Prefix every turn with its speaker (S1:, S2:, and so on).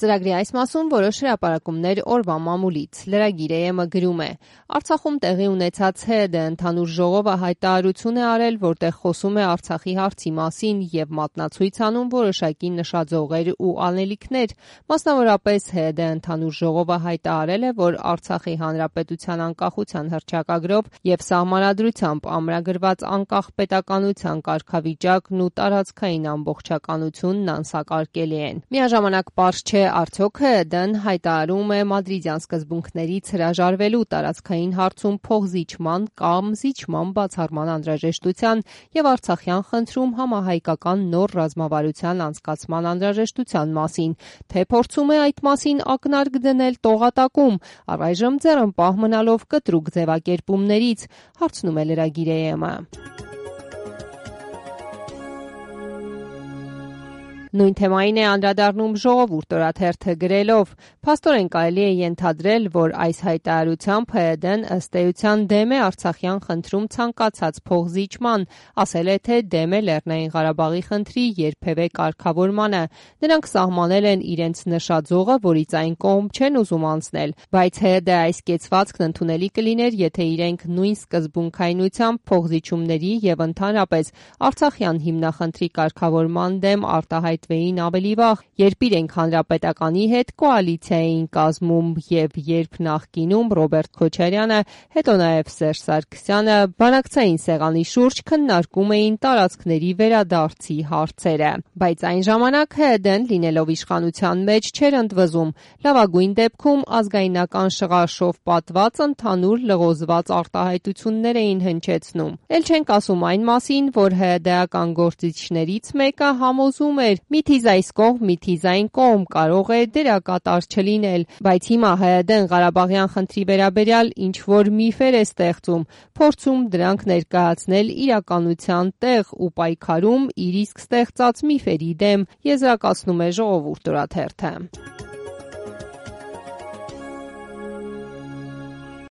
S1: Ծրագրի այս մասում որոշ հրապարակումներ օրվա մամուլից։ Լրագիր AM-ը գրում է. Արցախում տեղի ունեցած ՀՅԴ ընդհանուր ժողովը հայտարարություն է արել, որտեղ խոսում է Արցախի հարցի մասին եւ մատնացույց անում որոշակի նշաձողեր ու անելիքներ։ Մասնավորապես ՀՅԴ ընդհանուր ժողովը հայտարարել է, որ Արցախի հանրապետության անկախության հռչակագրով եւ սահմանադրությամբ ամրագրված անկախ պետականության կարգավիճակն ու տարածքային ամբողջականությունն անսակարկելի են։ Միաժամանակ պարզ չէ արդյոք ՀՅԴ-ն հայտարարում է մադրիդյան սկզբունքներից հրաժարվելու տարածքային հարցում փոխզիջման կամ զիջման բացառման անհրաժեշտության եւ արցախյան խնդրում համահայկական նոր ռազմավարության անցկացման անհրաժեշտության մասին, թե փորձում է այդ մասին ակնարկ դնել տողատակում, առայժմ ձեռնպահ մնալով կտրուկ ձևակերպումներից, հարցնում է լրագիր AM-ը։ Նույն թեմային է անդրադառնում Ժողովուրդ օրաթերթը գրելով. «Փաստորեն կարելի է ենթադրել, որ այս հայտարարությամբ ՀՅԴ-ն ըստ էության դեմ է Արցախյան խնդրում ցանկացած փոխզիջման, ասել է, թե դեմ է Լեռնային Ղարաբաղի խնդրի երբևէ կարգավորմանը։ Նրանք սահմանել են իրենց նշաձողը, որից այն կողմ չեն ուզում անցնել, բայց ՀՅԴ այս կեցվածքն ընդունելի կլիներ, եթե իրենք նույն սկզբունքայնությամբ փոխզիջումների եւ ընդհանրապես Արցախյան հիմնախնդրի կարգավորման դեմ արտահայտվեին ավելի վաղ, երբ իրենք հանրապետականի հետ կոալիցիա էին կազմում եւ երբ նախկինում Ռոբերտ Քոչարյանը, հետո նաեւ Սերժ Սարգսյանը բանակցային սեղանի շուրջ քննարկում էին տարածքների վերադարձի հարցերը։ Բայց այն ժամանակ ՀՅԴ-ն լինելով իշխանության մեջ չէր ընդվզում, լավագույն դեպքում ազգայնական շղարշով պատված ընդհանուր լղոզված արտահայտություններ էին հնչեցնում։ Էլ չենք ասում այն մասին, որ ՀՅԴ-ական գործիչներից մեկը համոզում էր՝ միթիզ այս կողմ, միթիզ այն կողմ կարող է դերակատար չլինել, բայց հիմա ՀՅԴ-ն Ղարաբաղյան խնդրի վերաբերյալ ինչ որ միֆեր է ստեղծում, փորձում դրանք ներկայացնել իրականության տեղ ու պայքարում իր իսկ ստեղծած միֆերի դեմ, եզրակացնում է Ժողովուրդ օրաթերթը։